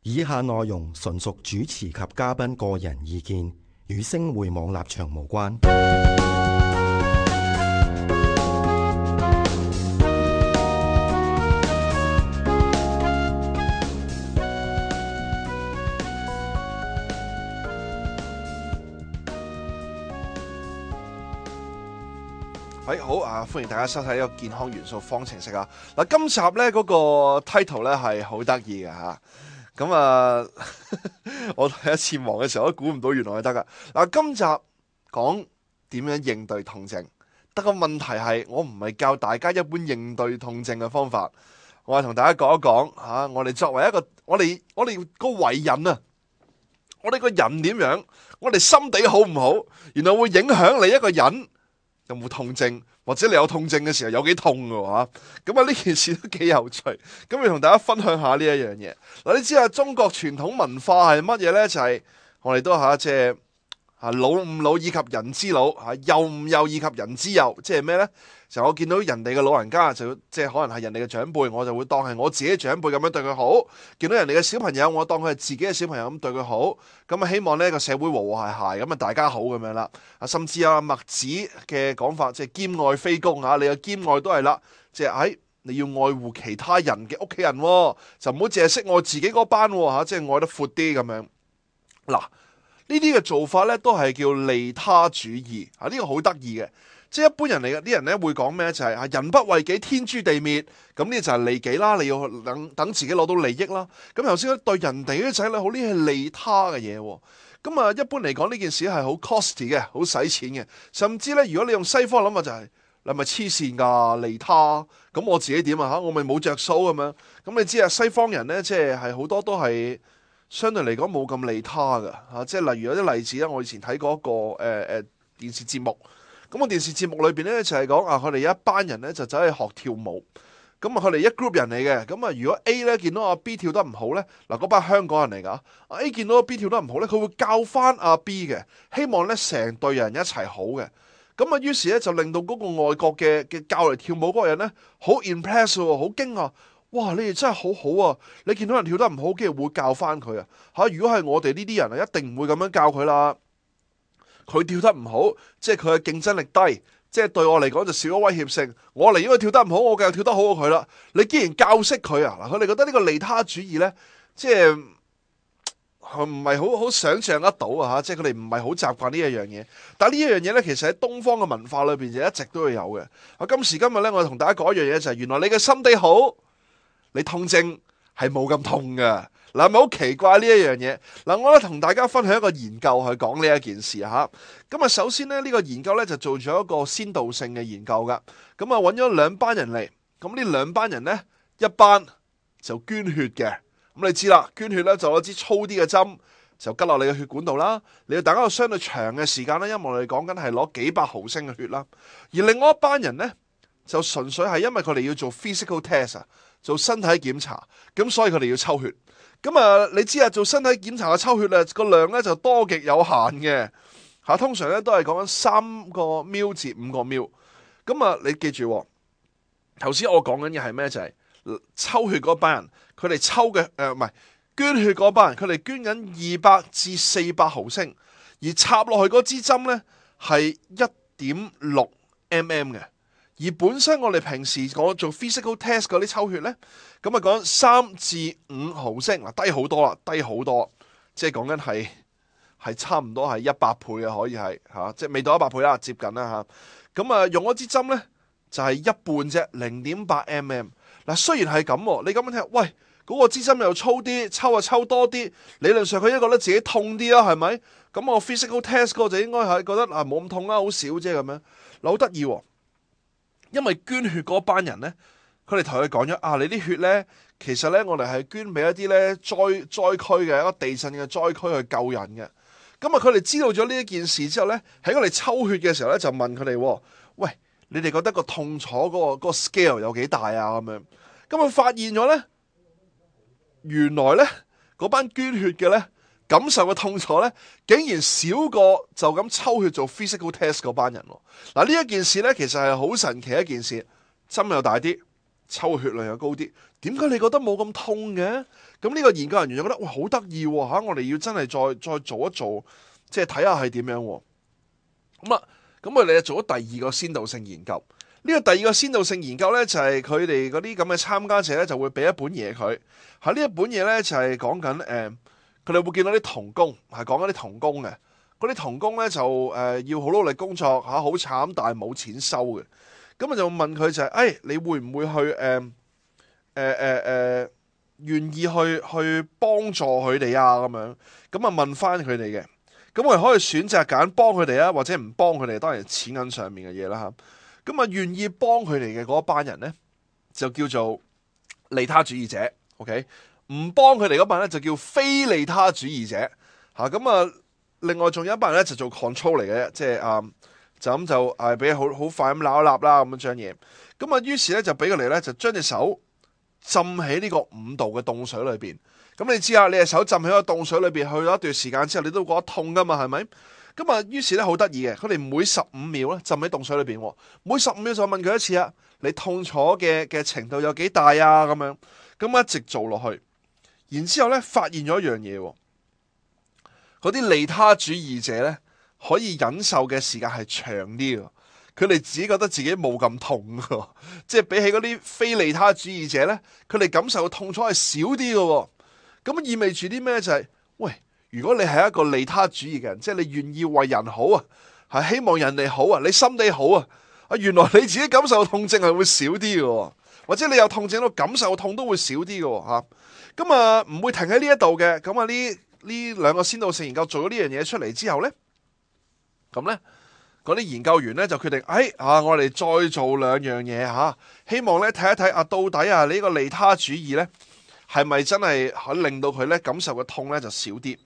以下內容純屬主持及嘉賓個人意見，與星匯網立場無關。好啊！歡迎大家收睇呢個健康元素方程式啊！嗱，今集咧嗰個 title 咧係好得意嘅吓，咁啊，我第一次望嘅時候都估唔到原來係得噶。嗱，今集講點樣應對痛症，但個問題係我唔係教大家一般應對痛症嘅方法，我係同大家講一講吓，我哋作為一個我哋個為人啊，我哋個人點樣，我哋心地好唔好，然後會影響你一個人有冇痛症，或者你有痛症嘅時候有幾痛嘅話，咁啊呢件事都幾有趣，咁要同大家分享下呢一樣嘢。嗱，你知啊，中國傳統文化係乜嘢呢？就係我哋都即係老吾老以及人之老，幼吾幼以及人之幼，即係咩呢？就我見到人哋嘅老人家，就即係可能係人哋嘅長輩，我就會當係我自己嘅長輩咁樣對佢好。見到人哋嘅小朋友，我當佢係自己嘅小朋友咁對佢好。咁啊，希望呢個社會和和諧諧，咁啊大家好咁樣啦。甚至墨子嘅講法，即係兼愛非攻啊！你嘅兼愛都係啦，即係你要愛護其他人嘅屋企人，就唔好淨係識愛自己嗰班即係愛得闊啲咁樣。嗱，呢啲嘅做法咧，都係叫利他主義啊！呢個好得意嘅。即係一般人嚟嘅啲人咧會講咩？就係人不為己，天誅地滅。咁呢就係利己啦，你要等自己攞到利益啦。咁頭先對人哋啲仔女好，呢係利他嘅嘢。咁啊，一般嚟講呢件事係好 costly 嘅，好使錢嘅。甚至咧，如果你用西方諗法就係你係咪黐線㗎利他？咁我自己點啊？我咪冇着數咁樣。咁你知啊，西方人咧即係好多都係相對嚟講冇咁利他㗎。即係例如有啲例子啦，我以前睇過一個電視節目。咁個電視節目裏邊咧就係講佢哋有一班人咧就走去學跳舞，咁佢哋一 group 人嚟嘅，咁如果 A 咧見到阿 B 跳得唔好咧，嗱嗰班香港人嚟噶，A 見到阿 B 跳得唔好咧，佢會教翻阿 B 嘅，希望咧成隊人一齊好嘅，咁於是咧就令到嗰個外國嘅教嚟跳舞嗰個人咧好 impress 喎，好驚啊！哇，你哋真係好好啊！你見到人跳得唔好，竟然會教翻佢啊！如果係我哋呢啲人一定唔會咁樣教佢啦。佢跳得唔好，即係佢嘅競爭力低，即係對我嚟講就少咗威脅性。我嚟，因為跳得唔好，我繼續跳得好過佢啦。你既然教識佢啊，嗱，佢哋覺得呢個利他主義呢，即係唔係好想象得到啊，即係佢哋唔係好習慣呢一樣嘢。但係呢一樣嘢呢，其實喺東方嘅文化裏邊就一直都會有嘅。今時今日呢，我同大家講一樣嘢就係，原來你嘅心地好，你痛症係冇咁痛㗎。嗱，係咪好奇怪呢一樣嘢？嗱，我咧同大家分享一個研究去講呢一件事嚇。咁啊，首先咧呢個研究咧就做咗一個先導性嘅研究噶。咁啊，揾咗兩班人嚟。咁呢兩班人咧，一班就捐血嘅。咁你知啦，捐血咧就攞支粗啲嘅針，就拮落你嘅血管度啦。你要等一個相對長嘅時間啦，因為我哋講緊係攞幾百毫升嘅血啦。而另外一班人咧，就純粹係因為佢哋要做 physical test 啊，做身體檢查，咁所以佢哋要抽血。咁啊，你知啊，做身體檢查嘅抽血個量咧就多極有限嘅嚇，通常咧都係講緊3個 ml 至5個 ml。咁啊，你記住，頭先我講緊嘅係咩？就係抽血嗰班人，佢哋抽嘅唔係捐血嗰班人，佢哋捐緊200至400毫升，而插落去嗰支針咧係1.6 mm 嘅。而本身我哋平時我做 physical test 嗰啲抽血咧，咁啊講3至5毫升，嗱低好多啦，低好多，即係講緊係差唔多係100倍啊，可以係即係未到100倍啦，接近啦嚇。咁啊用嗰支針咧就係一半啫，0.8 mm。嗱雖然係咁，你咁樣聽，喂嗰個支針又粗啲，抽多啲，理論上佢應該覺得自己痛啲啊，係咪？咁我 physical test 嗰個就應該係覺得冇咁痛啦，好少啫咁樣。嗱好得意喎。因為捐血嗰班人呢，佢哋同佢講咗你啲血呢，其實呢，我哋係捐俾一啲呢災區嘅一個地震嘅災區去救人嘅。咁啊，佢哋知道咗呢一件事之後呢，喺我哋抽血嘅時候呢，就問佢哋：喂，你哋覺得個痛楚嗰個 scale 有幾大啊？咁樣，咁啊發現咗呢，原來呢，嗰班捐血嘅呢，感受嘅痛楚咧，竟然少過就咁抽血做 physical test 嗰班人。嗱呢一件事咧，其實係好神奇一件事，針又大啲，抽血量又高啲，點解你覺得冇咁痛嘅？咁呢個研究人員就覺得哇好得意喎嚇，我哋要真係再做一做，即係睇下係點樣喎。咁我哋就做咗第二個先導性研究。呢個第二個先導性研究咧，就係佢哋嗰啲咁嘅參加者咧，就會俾一本嘢佢。喺呢一本嘢咧，就係講緊佢哋會見到啲童工，係講緊啲童工嘅。嗰啲童工咧就要好努力工作嚇，好慘，但係冇錢收嘅。咁啊就問佢就係，你會唔會去願意去幫助佢哋啊？咁樣咁啊問翻佢哋嘅。咁我哋可以選擇揀幫佢哋啊，或者唔幫佢哋，當然係錢銀上面嘅嘢啦嚇。咁啊，願意幫佢哋嘅嗰班人咧，就叫做利他主義者。OK，唔幫佢哋嗰班咧就叫非利他主義者。咁啊，另外仲有一班人咧就做 control 嚟嘅，即係就咁就俾好快咁撈一撈啦咁樣將嘢。咁啊，於是咧就俾佢哋咧就將隻手浸喺呢個5度嘅凍水裏邊。咁你知啊，你隻手浸喺個凍水裏邊去咗一段時間之後，你都覺得痛噶嘛，係咪？咁啊，於是咧好得意嘅，佢哋每15秒咧浸喺凍水裏邊，每15秒就問佢一次啊，你痛楚嘅程度有幾大啊？咁樣，咁一直做落去，然之後咧發現咗一樣嘢，嗰啲利他主義者咧可以忍受嘅時間係長啲嘅，佢哋自己覺得自己冇咁痛嘅，即係比起嗰啲非利他主義者咧，佢哋感受嘅痛楚係少啲嘅。咁意味住啲咩？就係，喂。如果你係一個利他主義嘅人，即係你願意為人好啊，係希望人哋好啊，你心地好啊，原來你自己感受痛症係會少啲嘅，或者你有痛症到感受痛都會少啲嘅嚇。咁啊唔會停喺呢一度嘅。咁啊呢兩個先導性研究做咗呢樣嘢出嚟之後咧，咁咧嗰啲研究員咧就決定，我哋再做兩樣嘢嚇，希望咧睇一睇到底呢個利他主義咧係咪真係可令到佢咧感受嘅痛咧就少啲？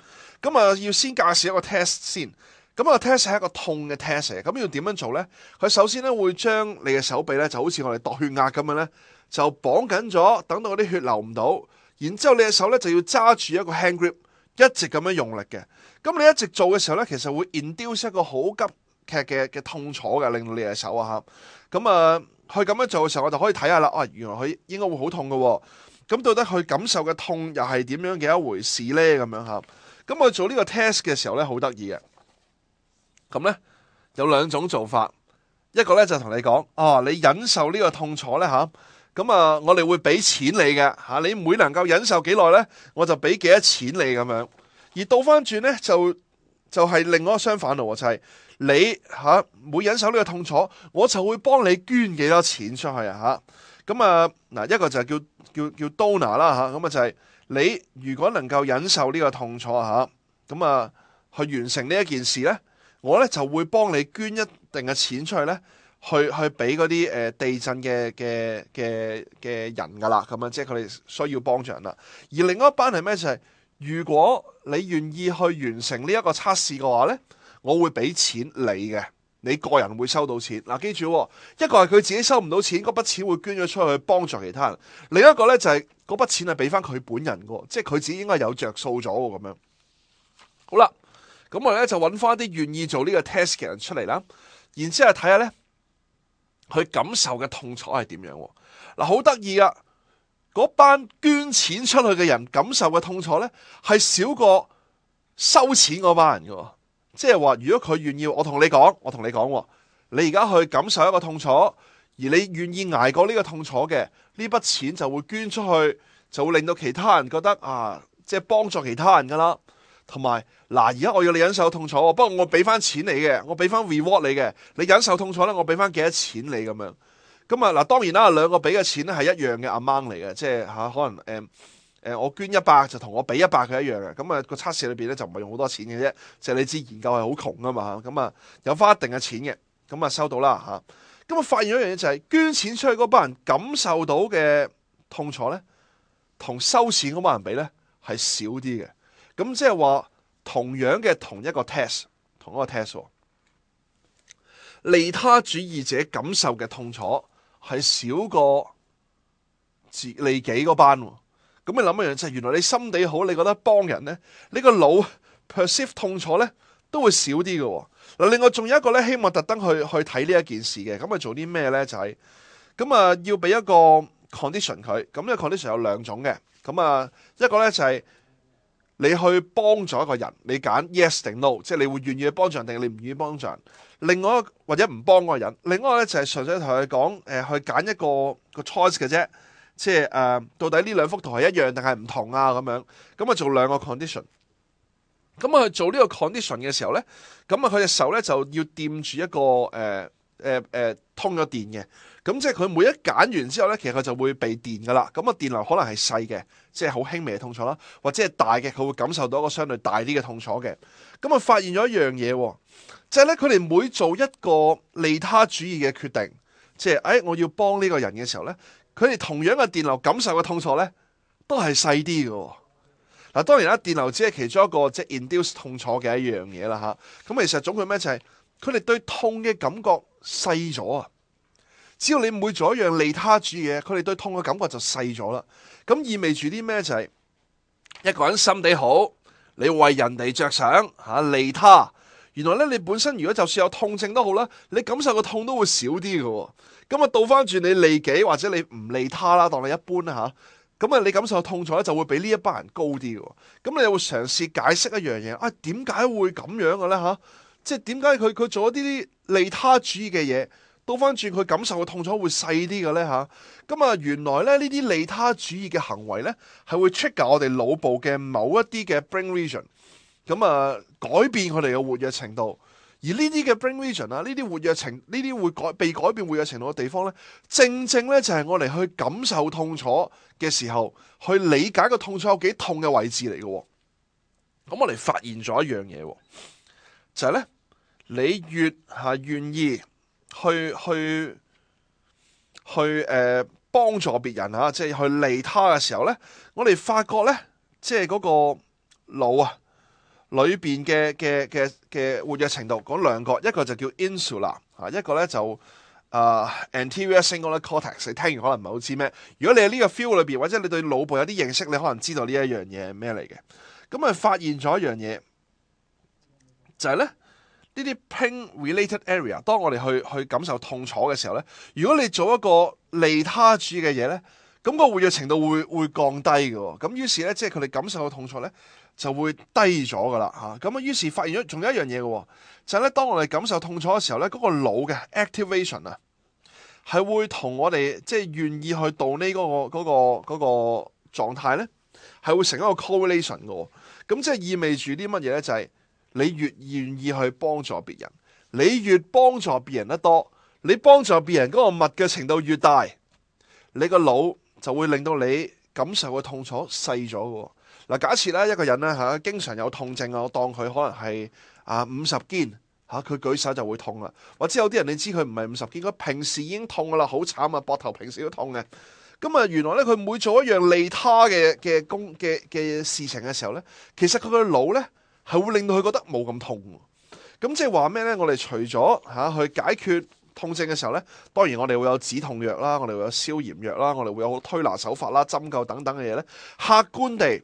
咁啊，要先介紹一個 test 先。咁個 test 係一個痛嘅 test 嚟。咁要點樣做咧？佢首先咧會將你嘅手臂咧就好似我哋度血壓咁樣咧，就綁緊咗，等到嗰啲血流唔到。然之後你嘅手咧就要揸住一個 hand grip，一直咁樣用力嘅。咁你一直做嘅時候咧，其實會 induce 一個好急劇嘅痛楚嘅，令到你嘅手啊嚇。咁啊，佢咁樣做嘅時候，我就可以睇下啦。原來佢應該會好痛嘅。咁到底佢感受嘅痛又係點樣嘅一回事咧？咁樣嚇。咁我做呢個 test 嘅時候咧，好得意嘅。咁咧有兩種做法，一個咧就同你講，你忍受呢個痛楚咧嚇，咁我哋會俾錢你嘅嚇，你每能夠忍受幾耐咧，我就俾幾多錢你咁樣。而倒翻轉咧就係另外一個相反咯，就係你每忍受呢個痛楚，我就會幫你捐幾多錢出去啊嚇。咁嗱，一個就係叫 donor 啦嚇，咁就係。你如果能夠忍受呢個痛楚去完成呢一件事呢，我呢就會幫你捐一定嘅錢出去呢，去俾嗰啲地震嘅人噶啦，咁樣即係佢哋需要幫助人啦。而另外一班係咩？就係如果你願意去完成呢一個測試嘅話呢，我會俾錢你嘅。你個人會收到錢嗱，記住一個係佢自己收唔到錢，嗰筆錢會捐咗出去幫助其他人；另一個呢，就係嗰筆錢係俾翻佢本人嘅，即係佢自己應該有着數咗咁樣。好啦，咁我哋咧就揾翻啲願意做呢個 test 嘅人出嚟啦，然之後睇下呢，佢感受嘅痛楚係點樣。嗱，好得意啊！嗰班捐錢出去嘅人感受嘅痛楚呢，係少過收錢嗰班人嘅。即係話，如果佢願意，我同你講，你而家去感受一個痛楚，而你願意捱過呢個痛楚嘅，呢筆錢就會捐出去，就會令到其他人覺得即係幫助其他人噶啦。同埋而家我要你忍受痛楚，不過我俾翻錢你嘅，我俾翻 reward 你嘅，你忍受痛楚咧，我俾翻幾多錢你咁樣。咁當然啦，兩個俾嘅錢咧係一樣嘅 amount 嚟嘅，即係可能我捐100就同我俾100佢一樣嘅。咁個測試裏邊咧就唔係用好多錢嘅啫，即係你知研究係好窮啊嘛。咁有翻一定嘅錢嘅，咁收到啦嚇。咁發現咗一樣嘢就係捐錢出去嗰班人感受到嘅痛楚咧，同收錢嗰班人比咧係少啲嘅。咁即係話同樣嘅同一個 test， 利他主義者感受嘅痛楚係少過利己嗰班。咁你諗一樣就係原來你心地好，你覺得幫人咧，你個腦 perceive 痛楚咧都會少啲嘅。嗱，另外仲有一個咧，希望特登去睇呢一件事嘅。咁做啲咩咧？就係要俾一個 condition 佢。咁呢個 condition 有兩種嘅。咁啊，一個咧就係你去幫助一個人，你揀 yes 定 no， 即係你會願意去幫助人定你唔願意幫助人。另外或者唔幫嗰個人，另外咧就係純粹同佢講去揀一個 choice 嘅啫，即係到底呢兩幅圖係一樣定係唔同啊咁樣。咁啊做兩個 condition。咁啊去做呢個 condition 嘅時候咧，咁啊佢隻手咧就要掂住一個通咗電嘅。咁即係佢每一揀完之後咧，其實佢就會被電噶啦。咁啊電流可能係細嘅，即係好輕微嘅痛楚啦，或者係大嘅，佢會感受到一個相對大啲嘅痛楚嘅。咁啊發現咗一樣嘢，就係咧佢哋每做一個利他主義嘅決定，即係我要幫呢個人嘅時候咧，佢哋同樣嘅電流感受嘅痛楚咧，都係細啲嘅。嗱，當然啦，電流只係其中一個即係 induce 痛楚嘅一樣嘢啦嚇。咁其實總括咩就係佢哋對痛嘅感覺細咗啊！只要你每做一樣利他主義嘅嘢，佢哋對痛嘅感覺就細咗啦。咁意味住啲咩就係一個人心地好，你為人哋着想嚇利他，原來咧你本身如果就算有痛症都好啦，你感受個痛都會少啲嘅。咁啊倒翻轉你利己或者你唔利他啦，當你一般啦嚇。咁啊，你感受痛楚咧，就會比呢一班人高啲嘅。咁你又會嘗試解釋一樣嘢啊？點解會咁樣嘅咧？嚇，即係點解佢做一啲利他主義嘅嘢，倒翻轉佢感受嘅痛楚會細啲嘅咧？嚇，咁啊，原來咧呢啲利他主義嘅行為咧，係會 trigger我哋腦部嘅某一啲嘅 brain region，咁啊改變佢哋嘅活躍程度。而呢啲嘅 brain region 啊，呢啲活躍程，呢啲會被改變活躍程度嘅地方咧，正正咧就係我哋去感受痛楚嘅時候，去理解個痛楚有幾痛嘅位置嚟嘅。咁我哋發現咗一樣嘢，就係咧，你越係願意去幫助別人啊，即係去利他嘅時候咧，我哋發覺咧，即係嗰個腦啊。裏邊嘅活躍程度講兩個，一個就叫 insula 一個咧就anterior cingulate cortex。你聽完可能唔係好知咩？如果你喺呢個 feel 裏邊，或者你對腦部有啲認識，你可能知道呢一樣嘢係咩嚟嘅。咁啊發現咗一樣嘢，就係咧呢啲 pain related area， 當我哋去感受痛楚嘅時候咧，如果你做一個利他主義嘅嘢咧，咁個活躍程度會降低嘅。咁於是咧，即係佢哋感受到痛楚咧，就會低咗噶啦嚇，咁啊於是發現咗仲有一樣嘢嘅，就係咧當我哋感受痛楚嘅時候咧，嗰個腦嘅 activation 啊，係會同我哋即係願意去到呢嗰個狀態咧，係會成一個 correlation 嘅。咁即係意味住啲乜嘢咧？就係你越願意去幫助別人，你越幫助別人得多，你幫助別人嗰個密嘅程度越大，你個腦就會令到你感受嘅痛楚細咗嘅。嗱，假設咧一個人咧嚇，經常有痛症啊，我當佢可能係50肩嚇，佢舉手就會痛啦。或者有啲人你知佢唔係50肩，佢平時已經痛噶啦，好慘啊，膊頭平時都痛嘅。咁啊，原來咧佢每做一樣利他嘅事情嘅時候咧，其實佢個腦咧係會令到佢覺得冇咁痛。咁即係話咩咧？我哋除咗去解決痛症嘅時候咧，當然我哋會有止痛藥啦，我哋會有消炎藥啦，我哋會有推拿手法啦、針灸等等嘅嘢咧，客觀地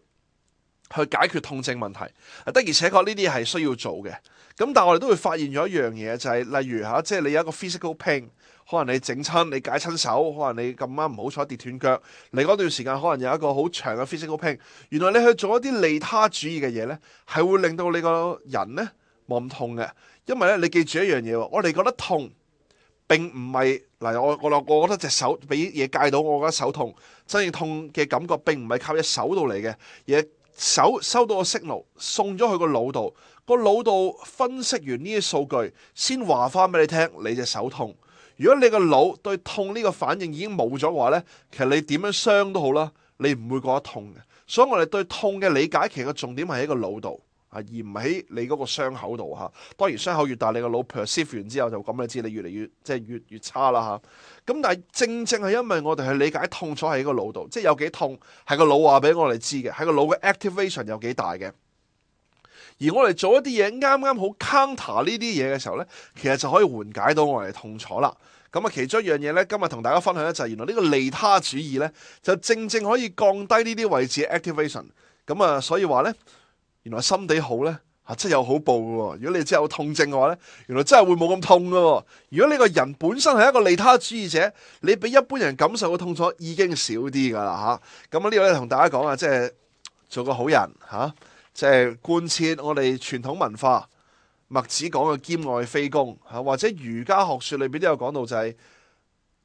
去解決痛症問題，的而且確呢啲係需要做嘅。咁但係我哋都會發現咗一樣嘢，就係例如即係你有一個 physical pain， 可能你整親、你解親手，可能你咁啱唔好彩跌斷腳，你嗰段時間可能有一個好長嘅 physical pain。原來你去做一啲利他主義嘅嘢呢，係會令到你個人呢冇咁痛嘅。因為咧，你記住一樣嘢，我哋覺得痛並唔係嗱，我覺得隻手俾嘢戒到，我覺得手痛。真正痛嘅感覺並唔係靠隻手度嚟嘅，而手收到個 signal 送咗去個腦度，個腦度分析完呢啲數據，先話翻俾你聽，你隻手痛。如果你個腦對痛呢個反應已經冇咗嘅話呢，其實你點樣傷都好啦，你唔會覺得痛嘅。所以我哋對痛嘅理解，其實個重點係喺個腦度而唔喺你嗰個傷口度嚇。當然傷口越大，你個腦 perceive 完之後就咁，你知你越嚟越即係越差啦嚇。咁但係正正係因為我哋去理解痛楚喺個腦度，即係有幾痛係個腦話俾我哋知嘅，係個腦嘅 activation 有幾大嘅。而我哋做一啲嘢啱啱好 counter 呢啲嘢嘅時候呢，其實就可以緩解到我哋痛楚啦。咁啊，其中一樣嘢呢，今日同大家分享呢，就係原來呢個利他主義呢，就正可以降低呢啲位置嘅 activation。咁啊，所以話呢，原來心地好呢真係有好報嘅喎。如果你真係有痛症嘅話呢，原來真係會冇咁痛嘅喎。如果你個人本身係一個利他主義者，你比一般人感受嘅痛楚已經少啲噶啦嚇。咁呢個咧同大家講啊，即係做個好人嚇，即係貫徹我哋傳統文化。墨子講嘅兼愛非攻嚇，或者儒家學説裏邊都有講到，就係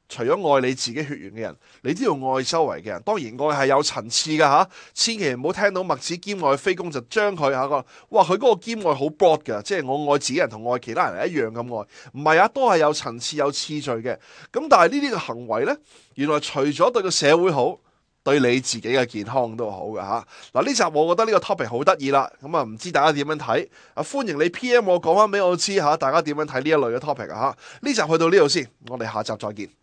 除咗愛你自己血緣嘅人，你都要愛周圍嘅人。當然愛係有層次嘅嚇，千祈唔好聽到墨子兼愛非攻就將佢嚇個，哇佢嗰個兼愛好 broad 嘅，即係我愛自己人同愛其他人係一樣咁愛，唔係啊，都係有層次有次序嘅。咁但係呢啲嘅行為呢，原來除咗對個社會好，對你自己嘅健康都好嘅嚇。嗱呢集我覺得呢個 topic 好得意啦，咁啊唔知大家點樣睇？歡迎你 PM 我講翻俾我知嚇，大家點樣睇呢一類嘅 topic 啊嚇？呢集去到呢度先，我哋下集再見。